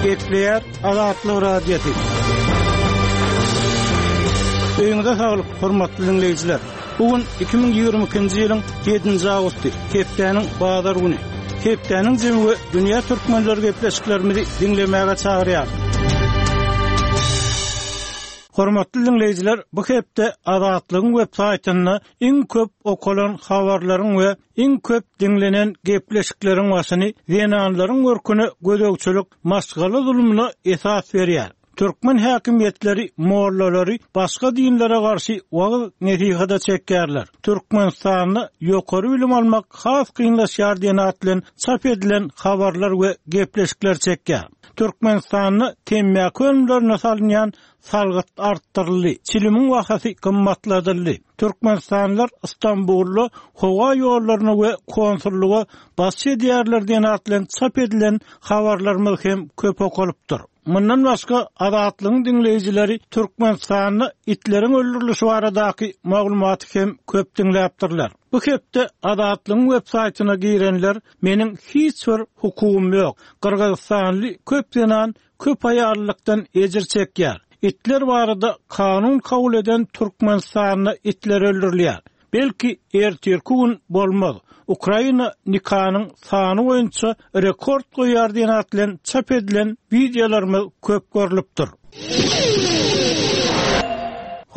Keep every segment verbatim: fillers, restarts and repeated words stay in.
Gepleýär Azatlyk Radiosy. Öýüňize saglyk, hormatly dinleýjiler. Bu gün iki müň ýigrimi ikinji ýylyň ýedinji awgusty, hepdäniň bazar güni. Hepdäniň jemi we dünýä türkmenleri gepleşiklerimizi diňlemäge çagyrýar. Hormatly dinleýjiler, bu hepde Azatlygyň web saýtynda iň köp okalan habarlaryň we iň köp diňlenen gepleşikleriň başyny zenanlaryň görküne gözegçilik maşgala zulmuna esas berýär. Türkmen häkimiýetleri mollalary başga dinlere garşy wagyz nesihada çekýärler. Türkmenistanda ýokary bilim almak has kynlaşýar diýen at bilen çap edilen habarlar we gepleşikler çekýär. Türkmenistanda temmäki önümlerine salynýan salgyt artdyryldy, çilimiň bahasy gymmatladyldy. Türkmenistanlylar Istanbulda howa ýollaryna we konsullyga basyş edýärler diýen at bilen çap edilen habarlarymyz hem köp okalypdyr. Mundan başga Azatlygyň dinleýjileri Türkmenistanda itleriň öldürilişi baradaky maglumaty hem köp diňläpdirler. Bu hepde Azatlygyň web saýtyna girenler meniň hiç bir hukugym ýok. Gyrgyzystanly köp zenan köp aýallykdan ejir çekýär. Itler barada kanun kabul eden Türkmenistanda itler öldürilýär. Belki ertirki gün bolmaz. Ukraina nikanyň sany boýunça rekord goýar diýen at bilen çap edilen wideolarymyz köp görlüpdir.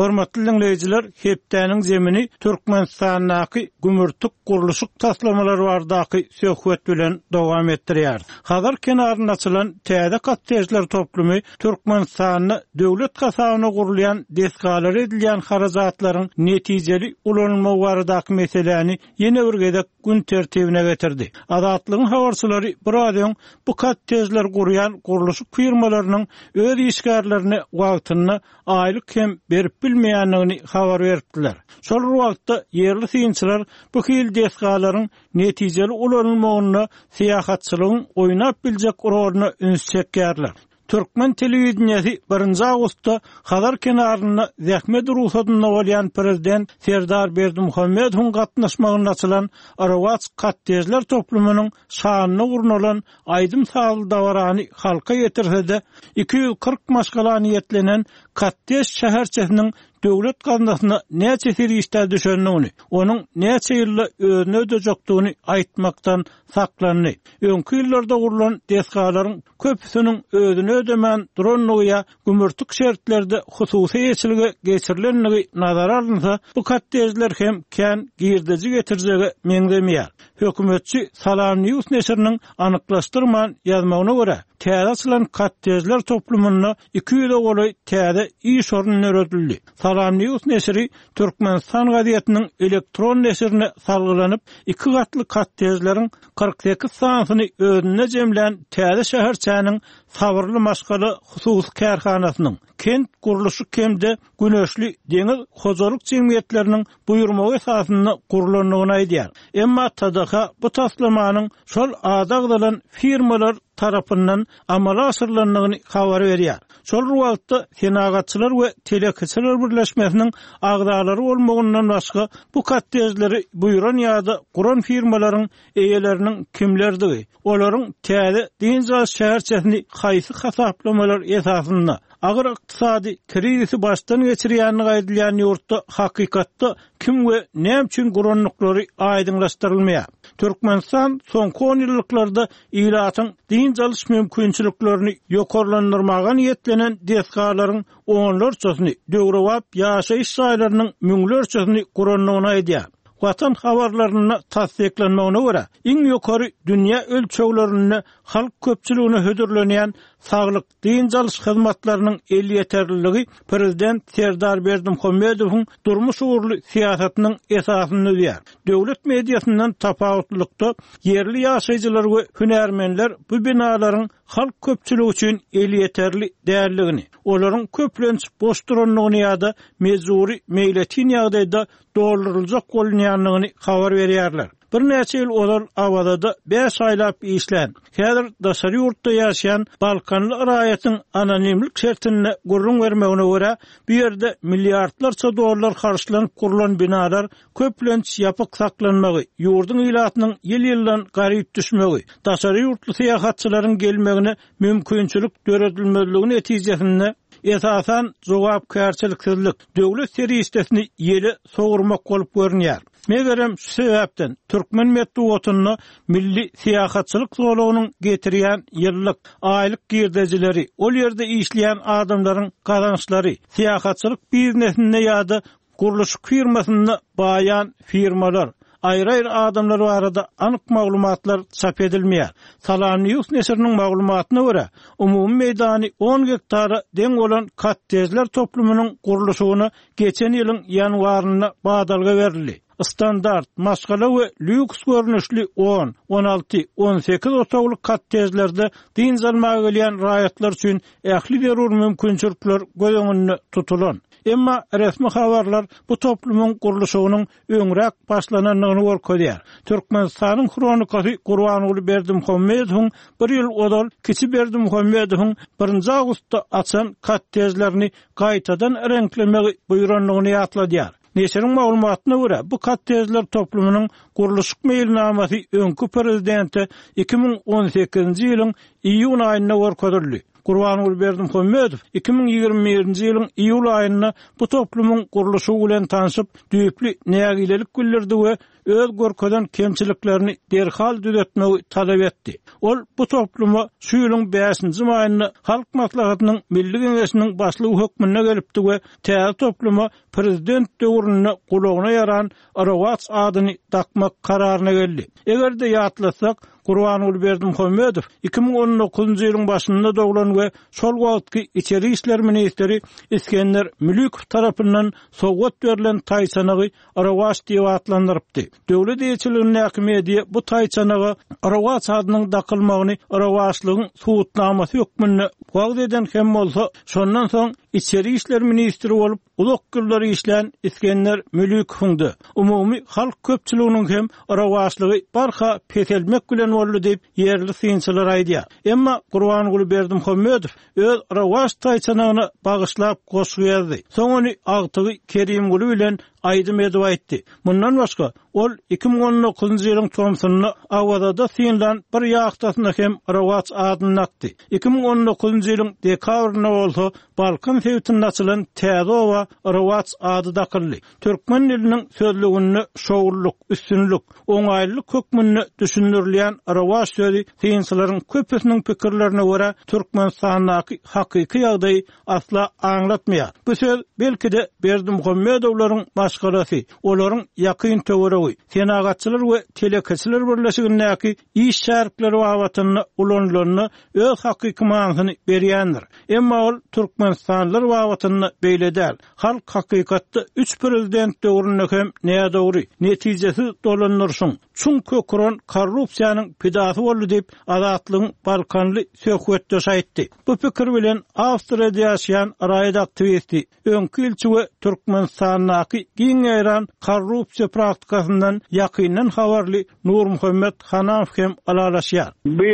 Hormatly dinleýjiler, hepdäniň zemini Türkmenistandaky gümürtik gurluşyk taslamalary baradaky söhbet bilen dowam etdirýär. Hazar kenarynda açylan täze kottejler toplumy Türkmenistanda döwlet hasabyna gurulýan desgalar edilýän harajatlaryň netijeli ulanylmagy baradaky meseläni ýene bir gezek gün tertibine getirdi. Azatlygyň habarçylary biraz öň bu kottejler gurýan gurluşyk firmalarynyň öz işgärlerine wagtynda aýlyk hem berip bilmeýändigini habar beripdiler. Şol bir wagtda ýerli synçylar bu hil desgalaryň netijeli ulanylmagyna syýahatçylygyň oýnap biljek roluna üns çekýärler. Türkmen telewideniýesi birinji awgustda Hazar kenarynda zähmet ruhsadynda bolýan prezident Serdar Berdimuhamedowyň gatnaşmagynda açylan Rowaç kottejler toplumynyň şanyna gurnalan aýdym sazly dabarany halka ýetirse-de iki ýüz kyrk maşgala niýetlenen kottej şäherçesiniň döwlet gaznasyna näçe serişde düşendigini, onuň näçe ýylda özüne ödejekdigini aýtmakdan saklandy. Öňki ýyllarda gurlan desgalaryň köpüsiniň özüne ödemän durandygy ýa gümürtik şertlerde hususy eýeçilige geçirilendigi nazara alynsa, bu kottejler hem kän girdeji getirjege meňzemeýär. Hökümetçi Salam News neşiriniň anyklaşdyrman ýazmagyna görä, täze açylan kottejler toplumynda iki ýüze golaý täze iş orny döredildi. Salam News neşiri Türkmenistan gazetiniň elektron neşirine salgylanyp, iki gatly kottejleriň kyrk sekiz sanysyny özünde jemlän täze şäherçäniň sabyrly maşgala hususy kärhanasynyň, kent gurluşyk hem-de güneşli deňiz hojalyk jemgyýetleriniň buýurmagy esasynda gurlandygyny aýdýar. Emma T D H bu taslamanyň şol ady agzalan firmalar tarapyndan amala aşyrylandygyny habar berýär. Şol bir wagtda Senagatçylar we Telekeçiler Birleşmesiniň agzalary bolmagyndan başga bu kottejleri buýran ýa-da guran firmalaryň eýeleriniň kimlerdigi, olaryň täze dynç alyş şäherçesini haýsy hasaplamalar esasynda agyr ykdysady krizisi başdan geçirýänligi aýdylýan ýurtda hakykatda kim we näme üçin gurandyklary aýdyňlaşdyrylmaýar. Türkmenistan soňky on ýyllyklarda ilatyň dynç alyş mümkinçiliklerini ýokarlandyrmaga niýetlenen desgalaryň onlarçasyny, döwrebap ýaşaýyş jaýlarynyň müňlerçesini gurandygyny aýdýar. Watan habarlarynda tassyklanmagyna görä, iň ýokary dünýä ölçeglerinde halk köpçüligine hödürlenýän saglyk dynç alyş hyzmatlarynyň elýeterliligi prezident Serdar Berdimuhamedowyň durmuş ugurly syýasatynyň esasyny düzýär. Döwlet mediasyndan tapawutlylykda ýerli ýaşaýjylar we hünärmenler bu binalaryň halk köpçüligi üçin elýeterli däldigini, olaryň köplenç boş durandygyny ýa-da mejbury meýletin ýagdaýda dolduryljak bolunýandygyny habar berýärler. Birnäçe ýyl ozal Awazada bäş aýlap işlän, häzir daşary ýurtda ýaşaýan Balkanly raýatyň anonimlik şertinde gürrüň bermegine görä, bu ýerde milliardlarça dollar harçlanyp gurlan binalar köplenç ýapyk saklanmagy, ýurduň ilatynyň ýyl-ýyldan garyp düşmegi, daşary ýurtly syýahatçylaryň gelmegine mümkinçilik döredilmezligi netijesinde esasan jogapkärçiliksizlik, döwlet serişdesini ýele sowurmak bolup görünýär. Megerem şu sebäpden türkmen metbugatynda milli syýahatçylyk zolagynyň getirýän ýyllyk, aýlyk girdejileri, ol ýerde işleýän adamlaryň gazançlary, syýahatçylyk biznesinde ýa-da gurluşyk firmasynda baýan firmalar, aýry-aýry adamlar barada anyk maglumatlar çap edilmeýär. Salam News neşiriniň maglumatyna görä, umumy meýdany on gektara deň bolan kottejler toplumynyň gurluşygyna geçen ýylyň ýanwarynda badalga berildi. Standart, maşgala we lýuks görnüşli on, on alty, on sekiz otagly kottejlerde dynç almaga gelýän raýatlar üçin ähli zerur mümkinçilikler göz öňünde tutulan. Emma resmi habarlar bu toplumyň gurluşygynyň öňräk başlanandygyny görkezýär. Türkmenistanyň Hronikasy Gurbanguly Berdimuhamedowyň bir ýyl ozal Kiçi Berdimuhamedowyň birinji awgustda açan kottejlerini gaýtadan reňklemegi buýrandygyny ýatladýar. Neşiriň maglumatyna görä, bu kottejler toplumynyň gurluşyk meýilnamasy öňki prezidente iki müň on sekizinji ýylyň iýun aýynda görkezildi. Gurbanguly Berdimuhamedow iki müň ýigrimi birinji ýylyň iýul aýynda bu toplumyň gurluşygy bilen tanşyp, düýpli nägilelik bildirdi we öz görkezen kemçiliklerini derhal düzetmegi talap etdi. Ol bu topluma şu ýylyň bäşinji maýynda Halk Maslahatynyň Milli Geňeşiniň başlygy hökmünde gelipdi we täze topluma prezident döwründe gulagyna ýaran Rowaç adyny dakmak kararyna geldi. Eger-de ýatlasak, Gurbanguly Berdimuhamedow iki müň on dokuzynjy ýylyň başynda doglan we şol wagtky Içeri işler ministri Iskender Mülükow tarapyndan sowgat berlen taýçanagy Rowaç diýip atlandyrypdy. Döwlet eýeçiligindäki media bu taýçanaga Rowaç adynyň dakylmagyny rowaçlygyň subutnamasy hökmünde wagyz eden hem bolsa, şondan soň Içeri işler ministri bolup uzak ýyllar işlän Iskender Mülükowyň-da umumy halk köpçüliginiň hem rowaçlygy barha peselmek bilen boldy diýip ýerli synçylar aýdýar. Emma Gurbanguly Berdimuhamedow öz rowaç taýçanagyna bagyşlap goşgy ýazdy. Soň ony agtygy Kerimguly bilen aýdym edip aýtdy. Mundan başga ol iki müň on dokuzynjy ýylyň tomsunda Awazada synlan bir ýahtasyna hem rowaç adyny dakdy. Iki müň on dokuzynjy ýylyň dekabrynda bolsa Balkan sebitinde açylan täze oba rowaç ady dakyldy. Türkmen diliniň sözlüginde şowluk, üstünlik, oňaýlylyk hökmünde düşündirilýän rowaç sözi synçylaryň köpüsiniň pikirlerine görä Türkmenistandaky hakyky ýagdaýy asla aňlatmaýar. Bu söz belki-de Berdimuhamedowlaryň maşgalasy, olaryň ýakyn töweregi, senagatçylar we telekeçiler birleşigindäki iş şärikleri babatynda ulanylanda öz hakyky manysyny berýändir. Emma ol Türkmenistanlylar babatynda beýle däl. Halk hakykatda üç prezident döwründe hem nädogry, netijesiz dolandyryşyň, çuň köküren korrupsiýanyň pidasy boldy diýip Azatlygyň Balkanly söhbetdeşi aýtdy. Bu pikir bilen Awstriýada ýaşaýan raýat aktiwisti, öňki ilçi we Türkmenistandaky giň ýaýran korrupsiýa praktikasyndan ýakyndan habarly Nurmuhammet Hanamow hem ylalaşýar. Bu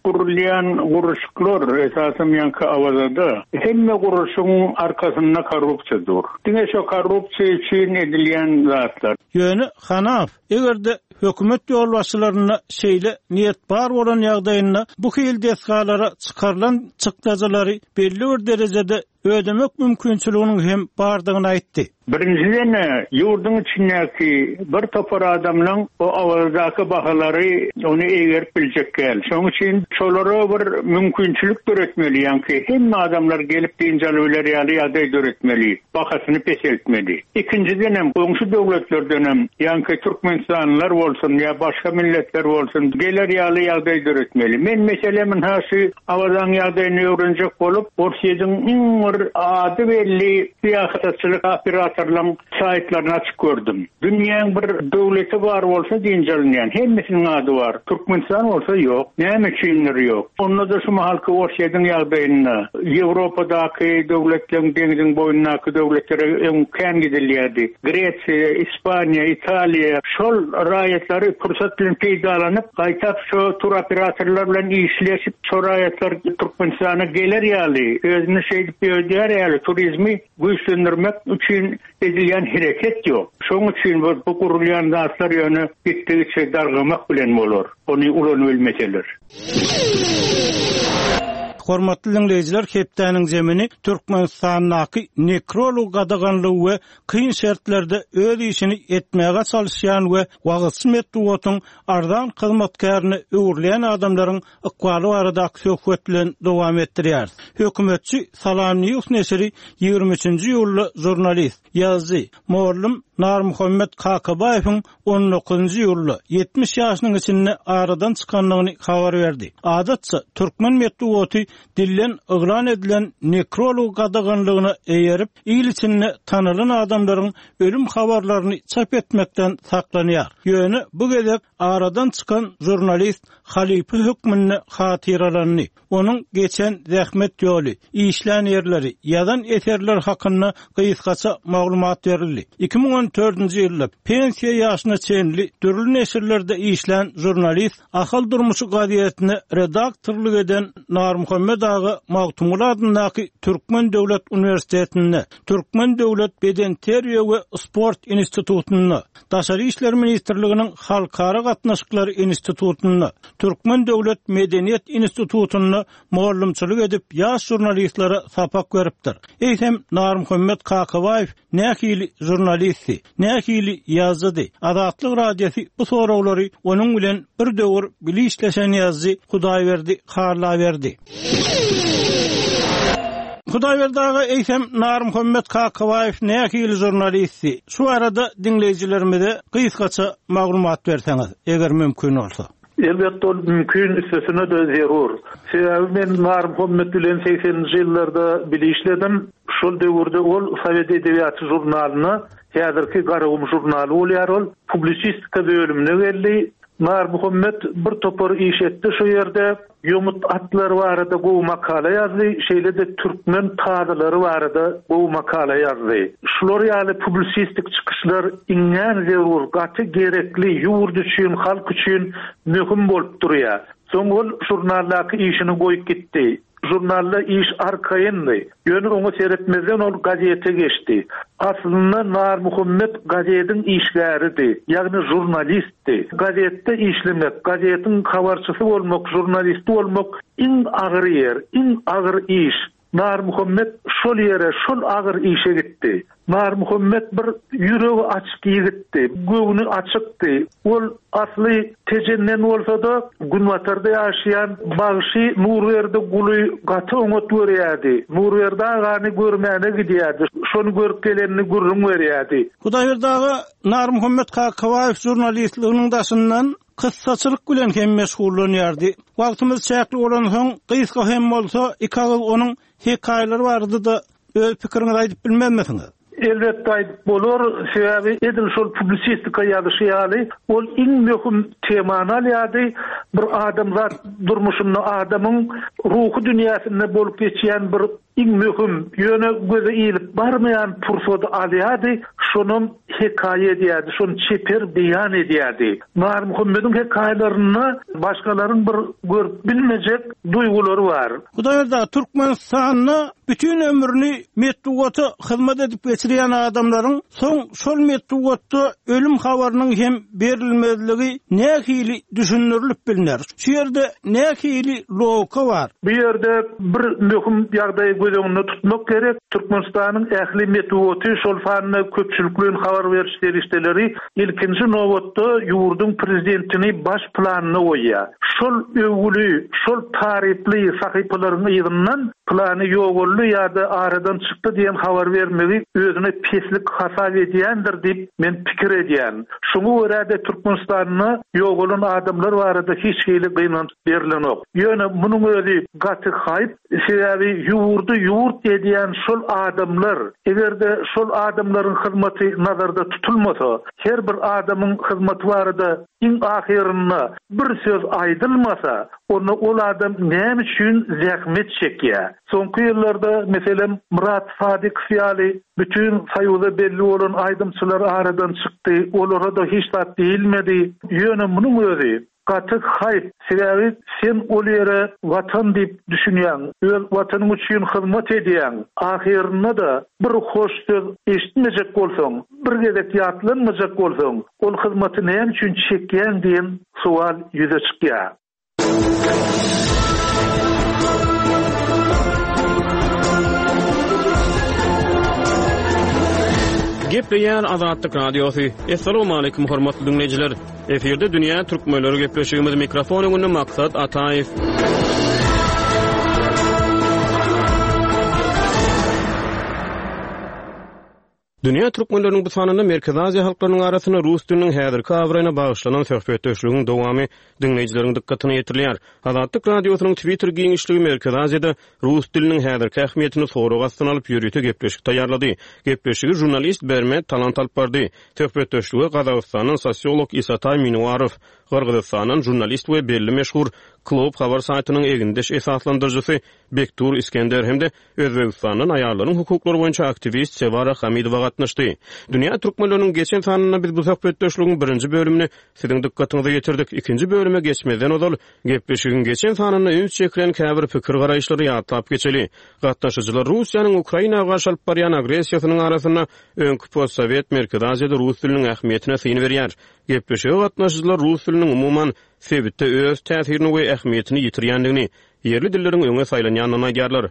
gurulýan gurluşyklar esasan ýaňky Awazada hemme gurluşygyň arkasynda korrupsiýa dur. Diňe şo korrupsiýa üçin edilýän zatlar. Ýöne Hanamow eger-de hökümet ýolbaşçylarynda şeýle niýet bar bolan ýagdaýynda bu hil desgalara çykarylan çykdajylary belli bir derejede ödemek mümkinçiliginiň hem bardygyny aýtdy. Birinjiden ýurduň içindäki bir topar adamlaryň o Awazadaky bahalary ony egerip biljek gel. Şonuň üçin şolara bir mümkinçilik döretmeli, ýaňky hemme adamlar gelip dynç alyp biler ýaly ýagdaý döretmeli, bahasyny peseltmeli. Ikinjiden hem goňşy döwletlerden hem ýaňky Türkmenistanlylar bolsun ýa başga milletler bolsun geler ýaly ýagdaý döretmeli. Men meselem ha şu Awazaň ýagdaýyny öwrenjek bolup, Orsýetiň iň bir ady belli syýahatçylyk operatorlaryň saýtlaryny açyp gördüm. Dünýäň bir döwleti bar bolsa dynç alynýan, hemmesiniň ady bar. Türkmenistan bolsa ýok. Näme üçindir ýok? Onda-da şu mahalky Orsýetiň ýagdaýynda Ýewropadaky döwletleriň deňziň boýundaky döwletlere öň kän gidilýärdi. Gresiýa, Ispaniýa, Italiýa şol raýatlary pursat bilen peýdalanyp, gaýtap şu tur operatorlar bilen işleşip, şo raýatlar Türkmenistana geler ýaly, özüni şeýdip ödär ýaly turizmi güýçlendirmek üçin edilýän hereket ýok. Şonuň üçin bu, bu gurulýan zatlar ýöne gitdigiçe dargamak bilen bolar. Ony ulanyp bilmeseler. Hormatly dinleýjiler, hepdäniň zemini Türkmenistandaky nekrolog gadaganlygy we kyn şertlerde öz işini etmäge çalışýan we wagyzçy metbugatyň arzan hyzmatkärine öwrülen adamlaryň ykbaly baradaky söhbet bilen dowam etdirýär. Hökümetçi Salam News neşiri ýigrimi üçünji iýulda žurnalist, ýazyjy Morlum Narmuhammet Kakabaýewiň on dokuzynjy iýulda ýetmiş ýaşynyň içinde aradan çykandygyny habar berdi. Adatça türkmen metbugaty dillen yglan edilen nekrolog gadaganlygyna eýerip, il içinde tanylan adamlaryň ölüm habarlaryny çap etmekden saklanýar. Ýöne bu gezek aradan çykan žurnalist halypa hökmünde hatyralandy. Onuň geçen zähmet ýoly, işlän ýerleri, ýazan eserler hakynda gysgaça maglumat berildi. Iki müň on dördünji ýylda pensiýa ýaşyna çenli dürli neşirlerde işlän žurnalist Ahal Durmuşy gazetine redaktorlyk eden Narmuhammet aga Magtymguly adyndaky Türkmen Döwlet Uniwersitetinde, Türkmen Döwlet Bedenterbiýe we Sport Institutynda, Daşary İşler Ministrliginiň Halkara Gatnaşyklary Institutynda, Türkmen Döwlet Medeniýet Institutynda mugallymçylyk edip ýaş žurnalistlere sapak beripdir. Eýsem Narmuhammet Kakabaýew nähili žurnalisti, nähili ýazyjydy? Azatlyk Radiosy bu soraglary onuň bilen bir döwür bilişleşen ýazyjy Hudaýberdi Hallaberdi. Hudaýberdi aga, eýsem Narmuhammet Kakabaýew nähili žurnalisti? Şu arada diňleýjilerimize gysgaça maglumat berseňiz, eger mümkin bolsa. Elbetde ol mümkin, üstesine de zerur. Sebäbi men Narmuhammet bilen sekseninji ýyllarda bile işledim. Şol döwürde ol Sowet edebiýaty žurnalyna, häzirki Garagum žurnaly bolýar ol, publisistika bölümine geldi. Narmuhammet bir topar iş etdi şu ýerde. Ýomut atlary barada gowy makala ýazdy, şeýle-de türkmen tazalary barada gowy makala ýazdy. Şular ýaly publisistik çykyşlar iňňän zerur, gaty gerekli, ýurt üçin, halk üçin möhüm bolup durýar. Soň ol žurnaldaky işini goýup gitdi. Žurnalda iş arkaýyndy. Ýöne oňa seretmezden ol gazete geçdi. Aslynda Narmuhammet gazetiň işgäridi, ýagny žurnalistdi. Gazetde işlemek, gazetiň habarçysy bolmak, žurnalisti bolmak iň agyr ýer, iň agyr iş. Narmuhammet şol ýere, şol agyr işe gitdi. Narmuhammet bir ýüregi açyk ýigitdi, göwni açykdy. Ol asly Tejenden bolsa-da Günbatarda ýaşaýan bagşy Nurberdi Guly gaty oňat görýärdi. Nurberdi agany görmäne gidýärdi. Şony görüp gelenini gürrüň berýärdi. Hudaýberdi aga, Narmuhammet Kakabaýew žurnalistliginiň daşyndan kyssaçylyk bilen hem meşgullanýardy. Wagtymyz çäkli bolansoň, gysga hem bolsa iki agyz onuň hekaýalary barada-da öz pikiriňizi aýdyp bilmezmisiňiz? Elbetde aýdyp bolar, sebäbi edil şol publisistika ýazyşy ýaly, ol iň möhüm temany alýardy. Bir adamzat durmuşynda adamyň ruhy dünýäsinde bolup geçýän bir iň möhüm, ýöne göze ilip barmaýan pursady alýardy, şonam hekaýa edýärdi, şony çeper beýan edýärdi. Narmuhammediň hekaýalarynda başgalaryň bir görüp bilmejek duýgulary bar. Hudaýberdi aga, Türkmenistanda bütün ömrüni metbugata hyzmat edip geçirýän adamlaryň soň şol metbugatda ölüm habarynyň hem berilmezligi nähili düşündirilip bilner? Şu ýerde nähili logika bar? Bu ýerde bir möhüm ýagdaýy göz öňünde tutmak gerek. Türkmenistanyň ähli metbugaty, şol sanda köpçülikleýin habar beriş serişdeleri ilkinji nobatda ýurduň prezidentini baş planyna goýýar. Şol öwgüli, şol taryply sahypalaryň yzyndan Pylany ýogaldy ýa-da aradan çykdy diýen habar bermegi özüne peslik hasap edýändir diýip men pikir edýän. Şoňa görä-de Türkmenistanda ýogalan adamlar barada hiç hili gynanç berilenok. Ýöne munuň özi gaty haýp, sebäbi ýurdy ýurt edýän şol adamlar, eger-de şol adamlaryň hyzmaty nazarda tutulmasa, her bir adamyň hyzmaty barada iň ahyrynda bir söz aýdylmasa, onda ol adam näme üçin zähmet çekýär? Soňky ýyllarda, meselem, Myrat Sadykow ýaly bütün Soýuza belli bolan aýdymçylar aradan çykdy, olara-da hiç zat diýilmedi. Ýöne munuň özi gaty haýp, sebäbi sen ol ýere watan diýip düşünýäň, öz watanyň üçin hyzmat edýäň. Ahyrynda-da bir hoş söz eşitmejek bolsaň, bir gezek ýatlanmajak bolsaň, ol hyzmaty näme üçin çekýäň diýen sowal ýüze çykýar. Gepleýär Azatlyk Radiosy. Assalamualaikum hormatly dinleýjiler. Efirde Dünýä Türkmenleri gepleşigimiz mikrofon öňünde Maksat Ataýew. Dünýä Türkmenleriniň bu sanynda Merkezi Aziýa halklarynyň arasynda rus diliniň häzirki abraýyna bagyşlanan söhbetdeşligiň dowamy diňleýjileriň dykgatyna ýetirilýär. Azatlyk Radiosynyň Twitter giňişligi Merkezi Aziýada rus diliniň häzirki ähmiýetini sorag astyna alyp ýörite gepleşik taýýarlady. Gepleşigi žurnalist Bermet Talant alyp bardy. Söhbetdeşlige Gazagystandan sosiolog Isatay Minuarow, Gyrgyzystandan žurnalist we belli meşhur Klob habar saýtynyň egindeş esaslandyryjysy Bektur Iskender hem-de Özbegistandan aýallaryň hukuklary boýunça aktiwist Sewara Hamidowa gatnaşdy. Dünýä Türkmenleriniň geçen sanynda biz bu söhbetdeşligiň birinji bölümini siziň dykgatyňyza ýetirdik. Ikinji bölüme geçmezden ozal gepleşigiň geçen sanynda üns çekilen käbir pikir garaýyşlary ýatlap geçeli. Gatnaşyjylar Russiýanyň Ukraina garşy alyp barýan agressiýasynyň arasynda öňki postsowet Merkezi Aziýada rus diliniň ähmiýetine syn berýär. Gepleşige gatnaşyjylar rus diliniň umuman sebitde öz täsirini we ähmiýetini ýitirýändigini, ýerli dilleriň öňe saýlanýandygyny aýdýarlar.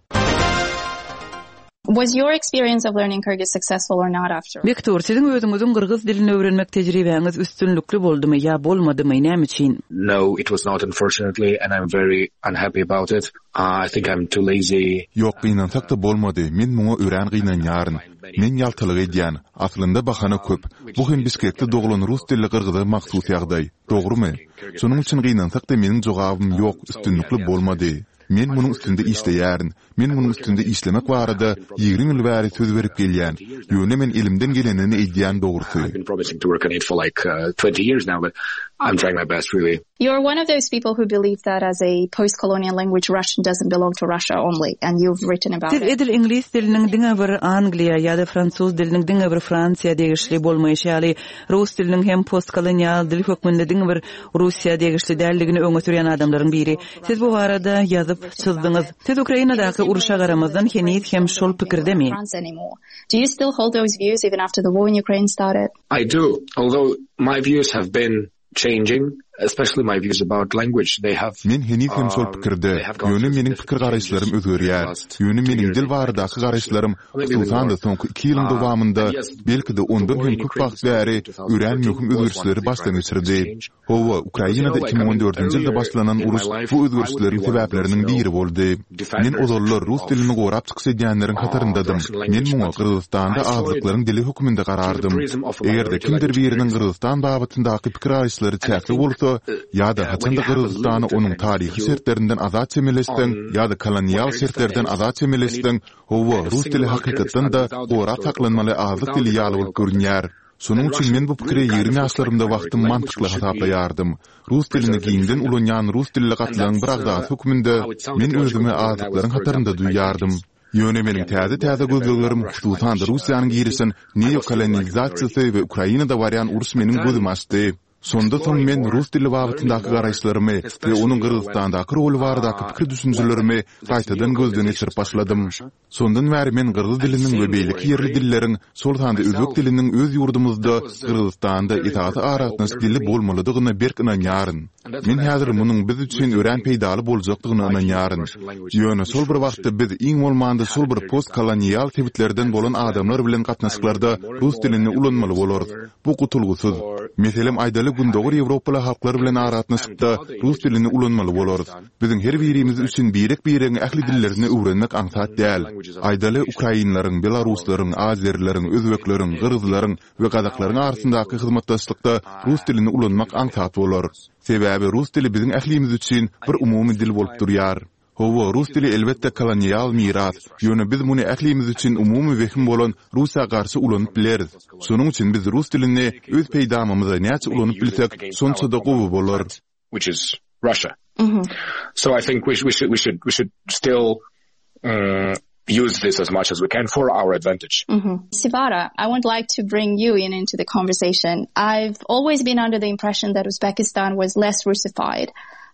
Was your experience of learning Kyrgyz successful or not after? Bektur, siziň özüňiziň gyrgyz dilini öwrenmek tejribäňiz üstünlikli boldumy ýa bolmadymy, näme üçin? No, it was not, unfortunately, and I'm very unhappy about it. Uh, I think I'm too lazy. Ýok, gynansak-da bolmady. Men muňa örän gynanýaryn. Men ýaltalyk edýän. Aslynda bahana köp. Bu hem Bişkekde doglan rus dilli gyrgyza mahsus ýagdaý. Dogrumy? Şonuň üçin gynansak-da meniň jogabym ýok, üstünlikli bolmady. Men munuň üstünde işleýärin. Men munuň üstünde işlemek barada ýigrimi ýyl bäri söz berip gelýän. Ýöne men elimden gelenini edýän dogrusy. I've been promising to work on it for like, uh, twenty years now, but I'm trying my best really. You're one of those people who believe that as a post-colonial language, Russian doesn't belong to Russia only, and you've written about Siz it. edil iňlis diliniň diňe bir Angliýa ýa-da fransuz diliniň diňe bir Fransiýa degişli bolmaýşy ýaly, rus diliniň hem postkolonial dil hökmünde diňe bir Russiýa degişli däldigini öňe sürýän adamlaryň biri. Siz bu barada ýazyp çyzdyňyz. Siz Ukrainadaky uruşa garamazdan heniz hem şol pikirdemi? France anymore. Do you still hold those views even after the war in Ukraine started? I do, although my views have been changing, especially my views about language. They have, Men heniz hem şol um, pikirde. they have gone Ýöne through meniň significant pikir changes garaýyşlarym in the özgerýär. last Ýöne two meniň years dil in baradaky fact. garaýyşlarym Maybe even hususan-da more. soňky iki ýylyň Uh, dowamynda and yes, belki-de the ondan war hem in köp Ukraine wagt bäri started in two thousand örän thirteen möhüm was one of özgerişleri the başdan drivers of this geçirdi. change. Hawa, Because, you Ukrainada know, like, iki I müň on mean, dördünji ýylda earlier başlanan in my uruş life, bu I would be özgerişleriň one of those, sebäpleriniň you know, biri boldy. Men defenders ozallar rus of, dilini gorap çykyş edýänleriň uh, hataryndadym. Russian Men language, muňa but Gyrgyzystanda I saw it azlyklaryň dili hökmünde through the garardym. prism of a Eger-de minority kimdir language biriniň in Kyrgyzstan. Gyrgyzystan babatyndaky pikir garaýyşlary And I çäkli think, bolsa, uh, ýa-da uh, when haçanda you have a Gyrgyzystany limited onuň kind of taryhy view şertlerinden azat çemeleşseň, on ýa-da kolonial what Kyrgyzstan şertlerden is, azat and it çemeleşseň, hawa, kind of rus dili single out hakykatdan Kyrgyzstan da without the gorap historical saklanmaly context, azlyk without dili the ýaly bolup colonial context. görünýär. Şonuň Then üçin Russian men bu pikire really kind ýigrimi of looks like a ýaşlarymda minority wagtym language mantykly which should be hasaplaýardym. Rus dilini preserved and giňden defended. ulanýan rus dilli And gatlagyň bir that's, uh, agzasy hökmünde how it sounded men logical özümi to me when I was, azlyklaryň for hatarynda example, in my duýýardym. twenties. Ýöne meniň Again, täze-täze working in a very gözleglerim, Russian hususan-da language, uh, Russiýanyň community, girişen I was feeling like a minority. neokolonizasiýasy we Ukrainada barýan uruş meniň But then gözümi açdy. Şonda soň exploring men more, rus dili learning babatyndaky more, garaýyşlarymy we especially onuň you know, when, Gyrgyzystandaky roly baradaky uh, pikir when düşünjelerimi this gaýtadan gözden neocolonization geçirip started in başladym. Russia, Şondan bäri men gyrgyz and diliniň we seeing the war beýleki in ýerli Ukraine, dilleriň, şol sanda özbek myself, diliniň öz ýurdumyzda that was a Gyrgyzystanda very esasy important aragatnaşyk eye-opener dili for me. bolmalydygyna berk ynanýaryn. And that's Men when I häzir started munuň biz üçin örän rethinking peýdaly boljakdygyna my views on ynanýaryn. Russian language Ýöne and şol which bir we wagtda should biz iň bolmanda have şol in bir Kyrgyzstan. postkolonial sebitlerden And bolan since then, adamlar bilen I'm gatnaşyklarda working more and rus more dilini and ulanmaly more bolarys. stronger Bu gutulgysyz. for Meselem aýdaly Aýdaly, Gündogar Ýewropaly halklar bilen aragatnaşykda rus dilini ulanmaly bolarys. Biziň her birimiz üçin birek-biregiň ähli dillerini öwrenmek aňsat däl. Aýdaly, ukrainleriň, belaruslaryň, azerileriň, özbekleriň, gyrgyzlaryň we gazaklaryň arasyndaky hyzmatdaşlykda rus dilini ulanmak aňsat bolar. Sebäbi rus dili biziň ählimiz üçin bir umumy dil bolup durýar. Hawa, rus dili elbetde kolonial miras, ýöne biz muny ählimiz üçin umumy wehim bolan Russiýa garşy ulanyp bileris. Şonuň üçin biz rus dilini öz peýdamyza näçe ulanyp bilsek, şonça-da gowy bolar. which is Russia. Mm-hmm. So I think we, we should we should we should still um, use this as much as we can for our advantage. Mm-hmm. Sivara, I would like to bring you in into the conversation. I've always been under the impression that Uzbekistan was less Russified.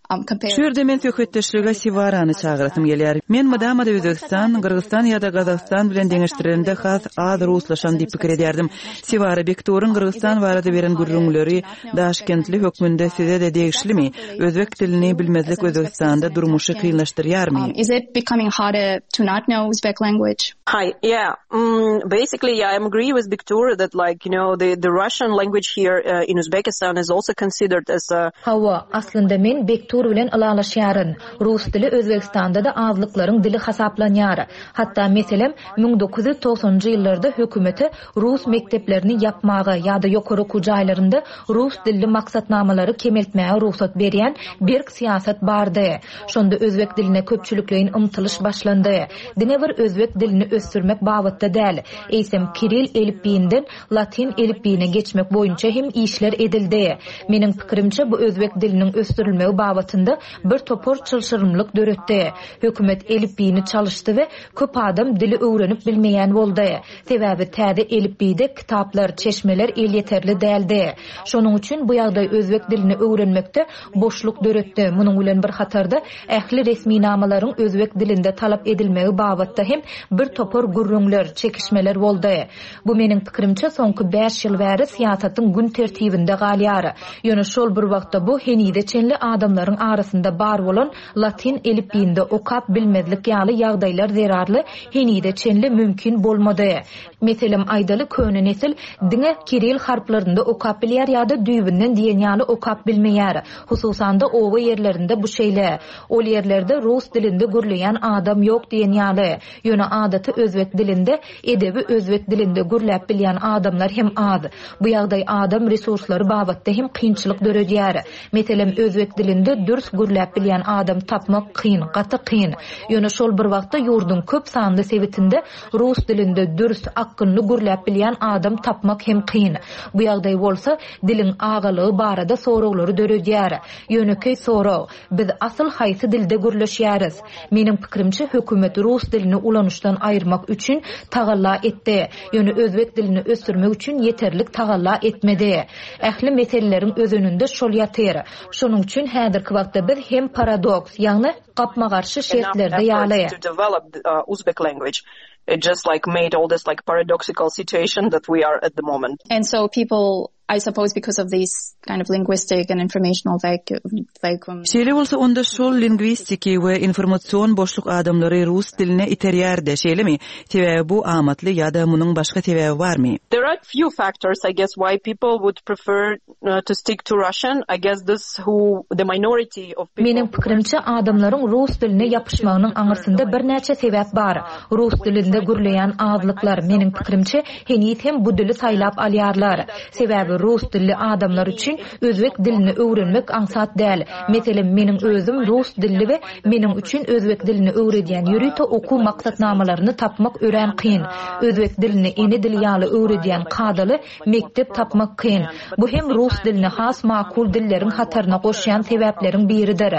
Um, Şu ýerde men söhbetdeşlige Siwarany çagyrasym gelýär. Men mydama-da Özbegistan, Gyrgyzystan ýa-da Gazagystan bilen deňeşdirilende has az ruslaşan diýip pikir edýärdim. Siwara Bekturyň Gyrgyzystan barada beren gürrüňleri Daşkentli hökmünde size-de degişlimi? Özbek dilini bilmezlik Özbegistanda durmuşy kynlaşdyrýarmy? Um, is it becoming harder to not know Uzbek language? Hi. Yeah. Mm, basically, yeah, I agree with Bektur that like, you know, the, the Russian language here uh, in Uzbekistan is also considered as a... Hawa, aslynda men Bektur bilen ylalaşýaryn. Rus dili Özbegistanda-da azlyklaryň dili hasaplanýar. Hatda meselem, müň dokuz ýüz togsanynjy ýyllarda hökümete rus mekdeplerini ýapmaga ýa-da ýokary okuw jaýlarynda rus dilli maksatnamalary kemeltmäge rugsat berýän berk syýasat bardy. Şonda özbek diline köpçülikleýin ymtylyş başlandy. Diňe bir özbek dilini ösdürmek babatda däl, eýsem kiril elipbiýinden latyn elipbiýine geçmek boýunça hem işler edildi. Meniň pikirimçe, bu özbek diliniň ösdürilmegi babatynda bir topar çylşyrymlyk döretdi. Hökümet elipbiýini çalyşdy we köp adam dili öwrenip bilmeýän boldy. Sebäbi täze elipbiýde kitaplar, çeşmeler elýeterli däldi. Şonuň üçin bu ýagdaý özbek dilini öwrenmekde boşluk döretdi. Munuň bilen bir hatarda ähli resminamalaryň özbek dilinde talap edilmegi babatda hem bir topar gürrüňler, çekişmeler boldy. Bu meniň pikirimçe soňky bäş ýyl bäri syýasatyň gün tertibinde galýar. Ýöne şol bir wagtda bu henize çenli adamlaryň arasynda bar bolan latyn elipbiýinde okap bilmezlik ýaly ýagdaýlar zerarly henize çenli mümkin bolmady. Meselem aýdaly köne nesil diňe kiril harplarynda okap bilýär ýa-da düýbünden diýen ýaly okap bilmeýär. Hususan-da oba ýerlerinde bu şeýle. Ol ýerlerde rus dilinde gürleýän adam ýok diýen ýaly. Ýöne adaty özbek dilinde, edebi özbek dilinde gürläp bilýän adamlar hem az. Bu ýagdaý adam resurslary babatda hem kynçylyk döredýär. Meselem, özbek dilinde dürs gürläp bilýän adam tapmak kyn, gaty kyn. Ýöne şol bir wagtda ýurduň köp sanly sebitinde rus dilinde dürs, akgynly gürläp bilýän adam tapmak hem kyn. Bu ýagdaý bolsa diliň agalygy barada soraglary döredýär. Ýönekeý sorag, biz asyl haýsy dilde gürleşýäris? Meniň pikirimçe, hökümet rus dilini ulanyşdan aýyrmak üçin tagalla etdi. Ýöne özbek dilini ösdürmek üçin ýeterlik tagalla etmedi. Ähli meseleleriň özeninde şol ýatyr. Şonuň üçin häzirki wagtda biz hem paradoks, ýagny gapma-garşy şertlerde ýaly. To develop Uzbek language. It just like made all this like paradoxical situation that we are at the moment. And so people, I suppose because of this kind of linguistic and informational vacuum. Şeýle bolsa onda şol lingwistiki we informasion boşluk adamlary rus diline iterýärdi, şeýlemi? Sebäbi bu amatly ýa-da munuň başga sebäbi barmy? There are few factors, I guess, why people would prefer to stick to Russian. I guess this who the minority of people. Meniň pikirimçe, adamlaryň rus diline ýapyşmagynyň aňyrsynda birnäçe sebäp bar. Rus dilinde gürleýän azlyklar, meniň pikirimçe, heniz hem bu dili saýlap alýarlar. Sebäbi rus dilli adamlar üçin özbek dilini öwrenmek aňsat däl. Meselem, meniň özüm rus dilli we meniň üçin özbek dilini öwredýän ýörite okuw maksatnamalaryny tapmak örän kyn. Özbek dilini ene dili ýaly öwredýän kadaly mekdep tapmak kyn. Bu hem rus dilini has makul dilleriň hataryna goşýan sebäpleriň biridir.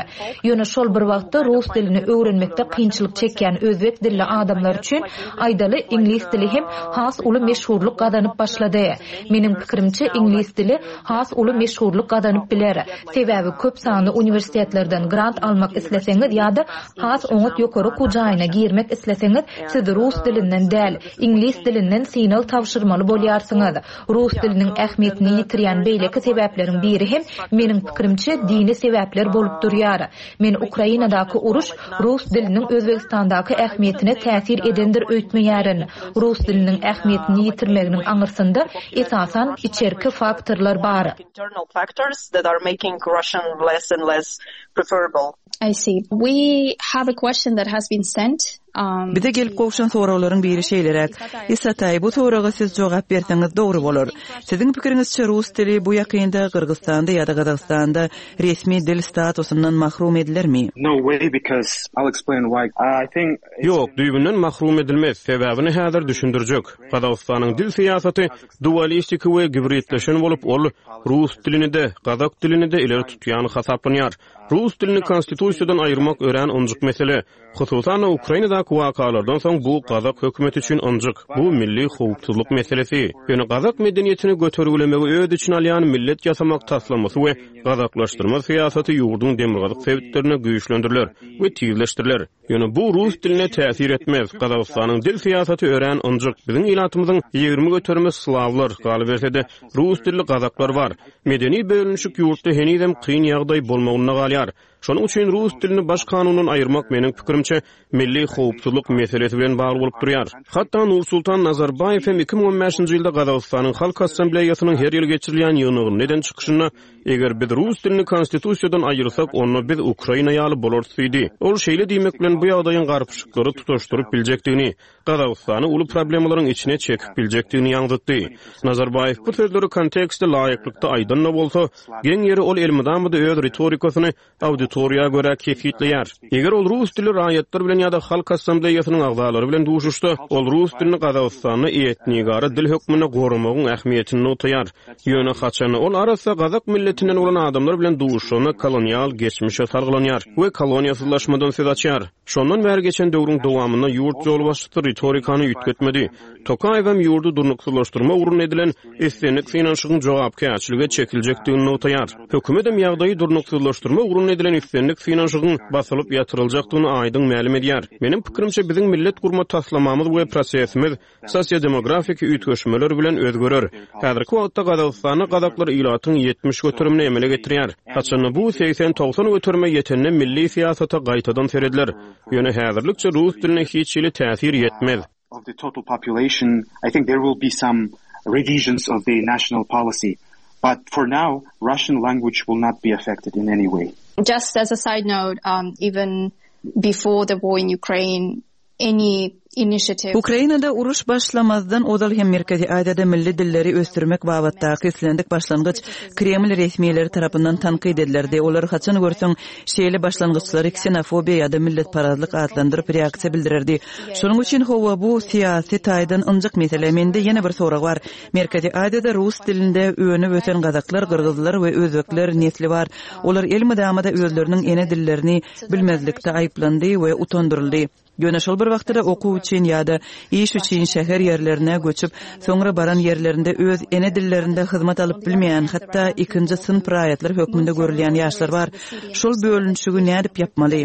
Ýöne şol bir wagtda rus dilini öwrenmekde kynçylyk çekýän özbek dilli adamlar üçin aýdaly iňlis dili hem has uly meşhurlyk gazanyp başlady. Meniň pikirimçe, iňlis dili has uly meşhurlyk gazanyp biler. Sebäbi köp sanly uniwersitetlerden grant almak isleseňiz ýa-da has oňat ýokary okuw jaýyna girmek isleseňiz, siz rus dilinden däl, iňlis dilinden synag tabşyrmaly bolýarsyňyz. Rus diliniň ähmiýetini ýitirýän beýleki sebäpleriň biri hem, meniň pikirimçe, dini sebäpler bolup durýar. Men Ukrainadaky uruş rus diliniň Özbegistandaky ähmiýetine täsir edendir öýtmeýärin. Rus diliniň ähmiýetini ýitirmeginiň aňyrsynda esasan içerki faktorlar bar. Internal factors that are making Russian less and less preferable. I see. We have a question that has been sent. Um, Bize gelip gowşan soraglaryň biri şeýleräk. Isataý, bu soraga siz jogap berseňiz dogry bolar. Siziň pikiriňizçe rus dili bu ýakynda Gyrgyzystanda ýa-da Gazagystanda resmi dil statusyndan mahrum edilermi? No way, because I'll explain why. I think Ýok, düýbünden mahrum edilmez. Sebäbini häzir düşündirjek. Gazagystanyň dil syýasaty dualistiki we gibridleşen bolup, ol rus dilini-de, gazak dilini-de ileri tutýan hasaplanýar. Rus dilini konstitusiýadan aýyrmak örän ynjyk mesele. Hususan Ukrainadaky wakalardan soň bu gazak hökümeti üçin ynjyk, bu milli howpsuzlyk meselesi. Ýöne gazak medeniýetini götergilemegi öz içine alýan millet ýasamak taslamasy we gazaklaşdyrma syýasaty ýurduň demirgazyk sebitlerine güýçlendiriler we tizleşdiriler. Ýöne bu rus diline täsir etmez. Gazagystanyň dil syýasaty örän ynjyk. Biziň ilatymyzyň ýigrimi göterimi slawlar, galyberse-de rus dilli gazaklar bar. Medeni bölünişik ýurtda henizem kyn ýagdaý bolmagynda galýar. Şonuň üçin rus dilini baş kanundan aýyrmak meniň pikirimçe milli howpsuzlyk meselesi bilen bagly bolup durýar. Hatda Nursultan Nazarbaýew hem iki müň on bäşinji ýylda Gazagystanyň Halk Assambleýasynyň her ýyl geçirilýän ýygnagynda eden çykyşynda eger biz rus dilini konstitusiýadan aýyrsak, onda biz Ukraina ýaly bolarys diýdi. Ol şeýle diýmek bilen bu ýagdaýyň garpyşyklary tutaşdyryp biljekdigini, Gazagystany uly problemalaryň içine çekip biljekdigini ýaňzytdy. Nazarbaýew bu sözleri kontekste laýyklykda aýdan-da bolsa, geň ýeri ol elmydama-da öz ritorikasyny auditoriýa görä kesgitleýär. Eger ol rus dili raýatlar bilen ýa-da Halk Assambleýasynyň agzalary bilen duşuşsa, ol rus dilini Gazagystanda etnigara dil hökmünde goramagyň ähmiýetini nygtaýar. Ýöne haçan ol arassa gazak milletinden bolan adamlar bilen duşuşanda kolonial geçmişe salgylanýar we koloniýasyzlaşmadan söz açýar. Şondan bäri geçen döwrüň dowamynda ýurt ýolbaşçysy ritorikany üýtgetmedi. Tokaýew hem ýurdy durnuksyzlaşdyrma ugrunda edilen islendik synanyşygyň jogapkärçilige çekiljekdigini nygtaýar. Hökümet hem ýagdaýy durnuksyzlaşdyrma ugrunda edilen islendik synanyşygyň basylyp ýatyryljakdygyny aýdyň mälim edýär. Meniň pikirimçe biziň millet gurma taslamamyz we prosesimiz sosiodemografik üýtgeşmeler bilen özgerer. Häzirki wagtda Gazagystanda gazaklar ilatyň ýetmiş göterimini emele getirýär. Haçanda bu segsen togsan göterime ýetende milli syýasata gaýtadan serediler. Ýöne häzirlikçe rus diline hiç hili täsir ýetmez. Of the total population, I think there will be some revisions of the national policy. But for now, Russian language will not be affected in any way. Just as a side note, um, even before the war in Ukraine, any initiative. Ukrainada uruş başlamazdan ozal hem Merkezi Aziýada milli dilleri ösdürmek babatdaky islendik başlangyç Kreml resmileri tarapyndan tankyt edilerdi. Olar haçan görseň şeýle başlangyçlary ksenofobiýa ýa-da milletparazlyk atlandyryp reaksiýa bildirerdi. Şonuň üçin hawa bu syýasy taýdan ynjyk mesele. Mende ýene bir sorag bar. Merkezi Aziýada rus dilinde önüp ösen gazaklar, gyrgyzlar we özbekler nesli bar. Olar elmydama-da özleriniň ene dillerini bilmezlikde aýyplandy we utandyryldy. Ýöne şol bir wagtda okuw üçin ýa-da iş üçin şäher ýerlerine göçüp, soňra baran ýerlerinde öz ene dillerinde hyzmat alyp bilmeýän, hatda ikinji synp raýatlar hökmünde görülýän ýaşlar bar. Şol bölünişigi nädip ýapmaly?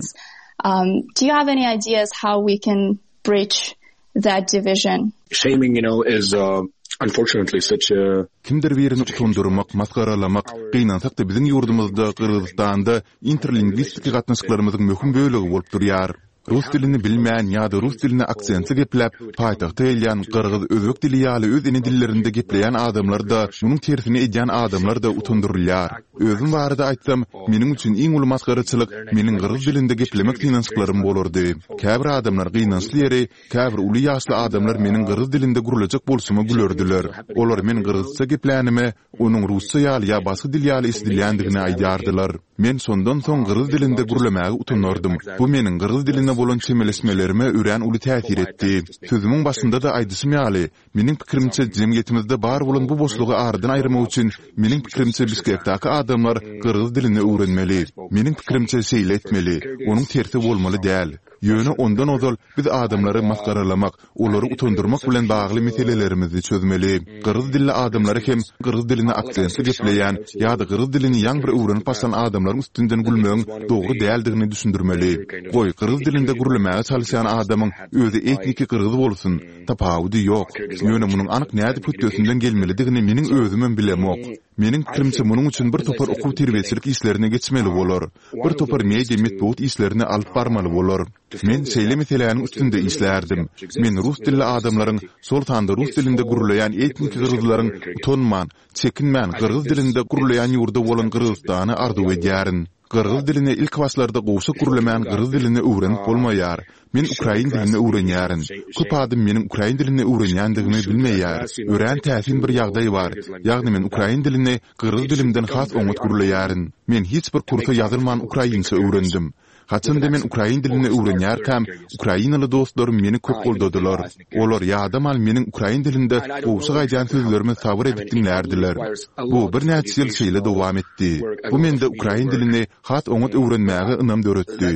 Um, do you have any ideas how we can bridge that division? Shaming, you know, is, uh, unfortunately such a Kimdir birini utandyrmak, masgaralamak, gynansak-da biziň ýurdumyzda Gyrgyzystanda interlingwistik gatnaşyklarymyzyň möhüm bölegi bolup durýar. Rus dilini bilmeýän ýa-da rus dilini aksentli gepläp, paýtagta gelýän gyrgyz, özbek dili ýaly öz ene dillerinde gepleýän adamlar-da, munuň tersini edýän adamlar-da utandyrylýar. Özüm barada aýtsam, meniň üçin iň uly masgaraçylyk meniň gyrgyz dilinde geplemek synanyşyklarym bolardy. Käbir adamlar gynançly ýeri, käbir uly ýaşly adamlar meniň gyrgyz dilinde gürlejek bolşuma gülerdiler. Olar men gyrgyzça geplänime, onuň rusça ýaly ýa başga dil ýaly eşidilýändigini aýdýardylar. Men şondan soň gyrgyz dilinde gürlemäge utanardym. Bu meniň gyrgyz diline bolan çemeleşmelerime örän uly täsir etdi. Sözümiň başynda-da aýdyşym ýaly, meniň pikirimçe jemgyýetimizde bar bolan bu boşlugy aradan aýyrmak üçin meniň pikirimçe Bişkekdäki adamlar gyrgyz dilini öwrenmeli. Meniň pikirimçe şeýle etmeli, onuň tersi bolmaly däl. Ýöne ondan ozal biz adamlary masgaralamak, olary utandyrmak bilen bagly meselelerimizi çözmeli. Gyrgyz dilli adamlary hem gyrgyz dilini aksentli gepleýän ýa-da gyrgyz dilini ýaňy bir öwrenip başlan adamlaryň üstünden gülmegiň dogry däldigini düşündirmeli. Goý, gyrgyz dilinde dilinde gürlemäge çalyşýan adamyň özi etniki gyrgyz bolsun, tapawudy ýok. Ýöne munuň anyk nädip hötdesinden gelmelidigini meniň özümem bilemok. Meniň pikirimçe munuň üçin bir topar okuw-terbiýeçilik işlerini geçmeli bolar. Bir topar media metbugat işlerini alyp barmaly bolar. Men şeýle meseläniň üstünde işlärdim. Men rus dilli adamlaryň, şol sanda rus dilinde gürleýän etniki gyrgyzlaryň utanman, çekinmän gyrgyz dilinde gürleýän ýurdy bolan Gyrgyzystany arzuw edýärin. Gyrgyz dilini ilkibaşlarda gowşak gürlemän gyrgyz dilini öwrenip bolmaýar. Men ukrain dilini öwrenýärin. Köp adam meniň ukrain dilini öwrenýändigimi bilmeýär. Örän täsin bir ýagdaý bar. Ýagny men ukrain dilini gyrgyz dilimden has oňat gürleýärin. Men hiç bir kursa ýazylman ukrainça öwrendim. Haçanda men ukrain dilini öwrenýärkäm, ukrainaly dostlarym meni köp goldadylar. Olar ýadaman meniň ukrain dilinde gowşak aýdýan sözlerimi sabyr edip diňlärdiler. Bu birnäçe ýyl şeýle dowam etdi. Bu mende ukrain dilini has oňat öwrenmäge ynam döretdi.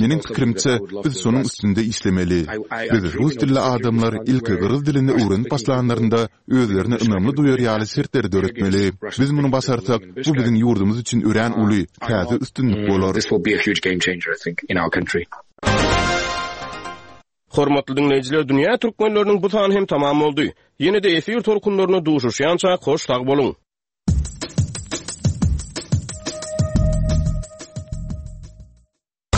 Meniň pikirimçe, biz şonuň üstünde işlemeli. Biz rus dilli adamlar ilki gyrgyz dilini öwrenip başlanlarynda özlerini ynamly duýar ýaly şertleri döretmeli. Biz muny başarsak, bu biziň ýurdumyz üçin örän uly, täze üstünlik bolar. Hormatly diňleýjiler, dünýä türkmenleriniň bu sany hem tamam boldy. Ýene-de efir tolkunlarynda duşuşýança hoş sag boluň!